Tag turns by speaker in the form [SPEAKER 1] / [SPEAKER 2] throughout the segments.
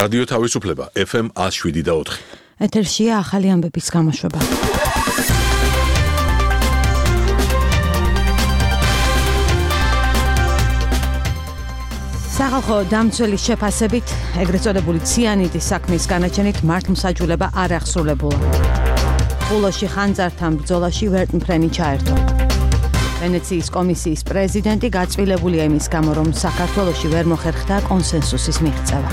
[SPEAKER 1] რადიო თავისუფლება FM 107.4.
[SPEAKER 2] ეთერშია ახალი ამბების გამოშვება. სახალხო დამცველის შეფასებით, ეგრეთ წოდებული ციანიდის საქმის განაჩენით მართლმსაჯულება არ აღსრულებულა. ბულოში ხანძართან ბრძოლაში ვერტმფრენი ჩაერთო. ვენეციის კომისიის პრეზიდენტი გაწყვილებულია იმის გამო, რომ საქართველოში ვერ მოხერხდა კონსენსუსის მიღწევა.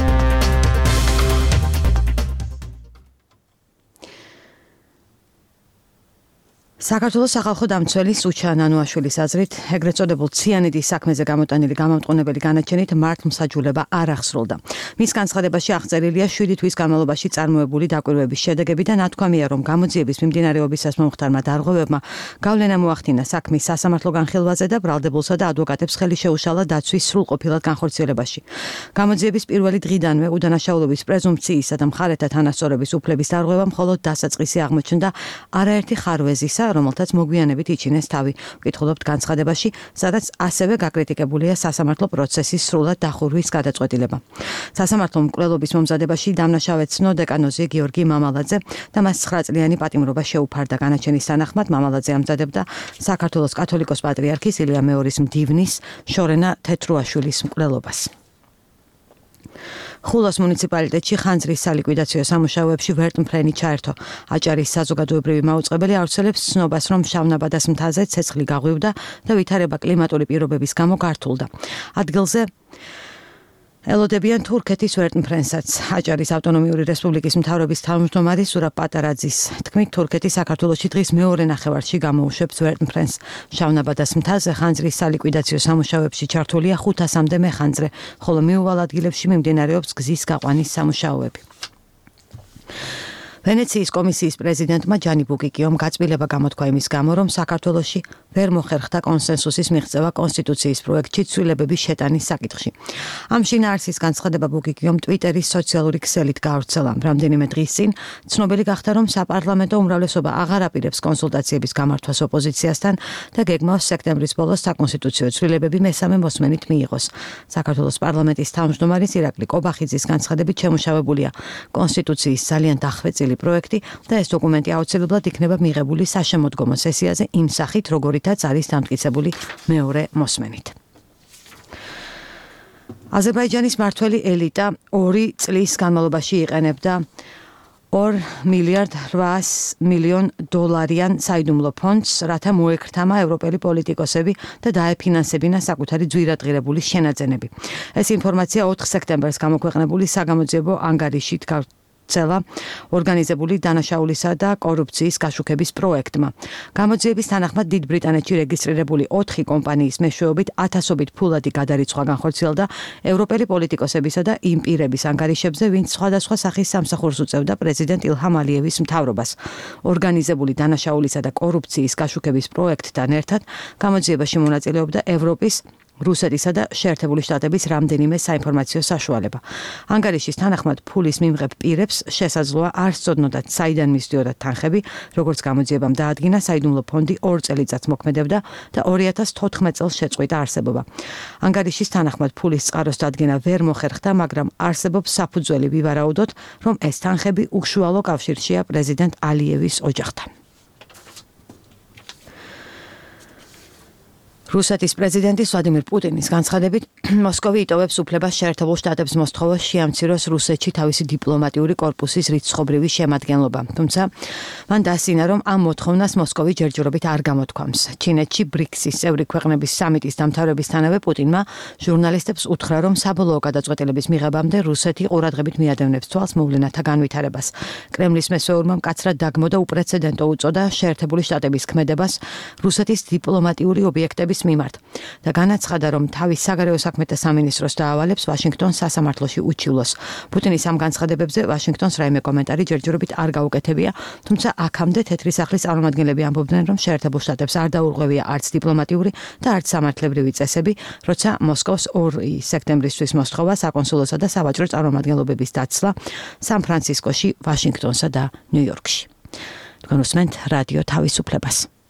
[SPEAKER 2] საქართველოს სახალხო დამცველის უჩა ნანუაშვილის აზრით, ეგრეთ წოდებულ ციანიდის საქმეზე გამოტანილი გამამტყუნებელი განაჩენით მართლმსაჯულება არ აღსრულდა. მის განცხადებაში აღწერილია 7 თვის განმავლობაში წარმოებული დაკვირვების შედეგები და ნათქვამია, რომ გამოძიების მიმდინარეობისას მომხდარმა დარღვევებმა გავლენა მოახდინა საქმის სასამართლო განხილვაზე და ბრალდებულსა და ადვოკატებს ხელი შეუშალა დაცვის სრულყოფილად განხორციელებაში. გამოძიების პირველი დღიდანვე უდანაშაულობის პრეზუმპციისა და მხარეთა თანასწორობის უფლების დარღვევა მხოლოდ დასაწყისი აღმოჩნდა არაერთი ხარვეზისა, რომელთაც მოგვიანებით იჩინეს თავი. ვკითხულობთ განცხადებაში, სადაც ასევე გაკრიტიკებულია სასამართლო პროცესის სრულად დახურვის გადაწყვეტილება. სასამართლო მკვლელობის მომზადებაში დამნაშავე ცნო დეკანოზი გიორგი მამალაძე და მას 9 წლიანი პატიმრობა შეუფარდა. განაჩენის თანახმად მამალაძე ამზადებდა საქართველოს კათოლიკოს პატრიარქის ილია მეორის მდივნის შორენა თეთრუაშვილის მკვლელობას. ხულოს მუნიციპალიტეტში ხანძრის სალიკვიდაციო სამუშაოებში ვერტმფრენი ჩაერთო. აჭარის საზოგადოებრივი მაუწყებელი ავრცელებს ცნობას, რომ შავნაბადას მთაზე ცეცხლი გაღვივდა და ვითარება კლიმატური პირობების გამო გართულდა. ადგილზე ელოდებიან თურქეთის ვერტმფრენსაც. აჭარის ავტონომიური რესპუბლიკის მთავრობის თავმჯდომარე სურაბ პატარაძის თქმით, თურქეთი საქართველოში დღის მეორე ნახევარში გამოუშვებს ვერტმფრენს. შავნაბადას მთაზე ხანძრის სალიკვიდაციო სამუშაოებში ჩართულია 500-მდე მეხანძრე, ხოლო მიუვალ ადგილებში მიმდინარეობს გზის გაყვანის სამუშაოები. ვენეციის კომისიის პრეზიდენტმა ჯანი ბუკიკიომ გაწყვილება გამოთქვა იმის გამო, რომ საქართველოში ვერ მოხერხდა კონსენსუსის მიღწევა კონსტიტუციის პროექტში ცვლილებების შეტანის საკითხში. ამ შინაარსის განცხადება ბუკიკიომ ტვიტერის სოციალური ქსელით გაავრცელა. რამდენიმე დღის წინ ცნობილი გახდა, რომ საპარლამენტო უმრავლესობა აღარ აპირებს კონსულტაციების გამართვას ოპოზიციასთან და გეგმავს სექტემბრის ბოლოს საკონსტიტუციო ცვლილებები მესამე მოსმენით მიიღოს. საქართველოს პარლამენტის თავმჯდომარის ირაკლი კობახიძის განცხადებით შემუშავებულია კონსტიტუციის ძალიან დახვეწილი პროექტი და ეს დოკუმენტი აუცილებლად იქნება მიღებული საშემოდგომო სესიაზე იმ სახით, როგორითაც არის დამტკიცებული მეორე მოსმენით. აზერბაიჯანის მმართველი ელიტა 2 წლის განმავლობაში იყენებდა $2.8 მილიარდიან საიდუმლო ფონდს, რათა მოექრთამა ევროპელი პოლიტიკოსები და დაეფინანსებინა საკუთარი ძვირადღირებული შენაძენები. ეს ინფორმაცია 4 სექტემბერს გამოქვეყნებული საგამოძიებო ანგარიშით ორგანიზებული დანაშაულისა და კორუფციის გაშუქების პროექტმა. გამოძიების თანახმად დიდ ბრიტანეთში რეგისტრირებული 4 კომპანიის მეშვეობით ათასობით ფულადი გადარიცხვა განხორციელდა ევროპელი პოლიტიკოსებისა და იმ პირების ანგარიშებზე, ვინც სხვადასხვა სახის სამსახურს უწევდა პრეზიდენტ ილჰამ ალიევის მთავრობას. ორგანიზებული დანაშაულისა და კორუფციის გაშუქების პროექტთან ერთად გამოძიებაში მონაწილეობდა ევროპის, რუსეთისა და შეერთებული შტატების რამდენიმე საინფორმაციო საშუალება. ანგარიშის თანახმად ფულის მიმღებ პირებს შესაძლოა არ სწოდნოდათ, საიდან მისდიოდათ თანხები, როგორც გამოძიებამ დაადგინა, საიდუმლო ფონდი 2 წელიწადს მოქმედებდა და 2014 წელს შეწყვიტა არსებობა. ანგარიშის თანახმად ფულის წყაროს დადგენა ვერ მოხერხდა, მაგრამ არსებობს საფუძველი ვივარაუდოთ, რომ ეს თანხები უშუალო კავშირშია პრეზიდენტ ალიევის ოჯახთან. რუსეთის პრეზიდენტის ვლადიმირ პუტინის განცხადებით, მოსკოვი იტოვებს უფლებას შეერთებულ შტატებს მოსთხოვოს შეამციროს რუსეთში თავისი დიპლომატიური კორპუსის რიცხობრივი შემადგენლობა. თუმცა მან დასცინა, რომ ამ მოთხოვნას მოსკოვი ჯერჯერობით არ გამოთქვამს. ჩინეთში ბრიქსის წევრი ქვეყნების სამიტის დამთავრებისთანავე პუტინმა ჟურნალისტებს უთხრა, რომ საბოლოო გადაწყვეტილების მიღებამდე რუსეთი ყურადღებით მიადევნებს თვალს მოვლენათა განვითარებას. კრემლის მესვეურმა მკაცრად დაგმო და უპრეცედენტო უწოდა შეერთებული შტატების ქმედებას რუსეთის დიპლომატიური ობიექტების მიმართ და განაცხადა, რომ თავის საგარეო საქმეთა სამინისტროს დაავალებს ვაშინგტონს სასამართლოში უჩივლოს. პუტინის ამ განცხადებებზე ვაშინგტონს რაიმე კომენტარი ჯერჯერობით არ გაუკეთებია, თუმცა აქამდე თეთრი სახლის წარმომადგენლები ამბობდნენ, რომ შეერთებულ შტატებს არ დაურღვევია არც დიპლომატიური და არც სამართლებრივი წესები, როცა მოსკოვს 2 სექტემბრისთვის მოსთხოვა საკონსულოსა და სავაჭრო წარმომადგენლობების დაცლა სან-ფრანცისკოში, ვაშინგტონსა და ნიუ-იორკში. თქვენ უსმენთ რადიო თავისუფლებას.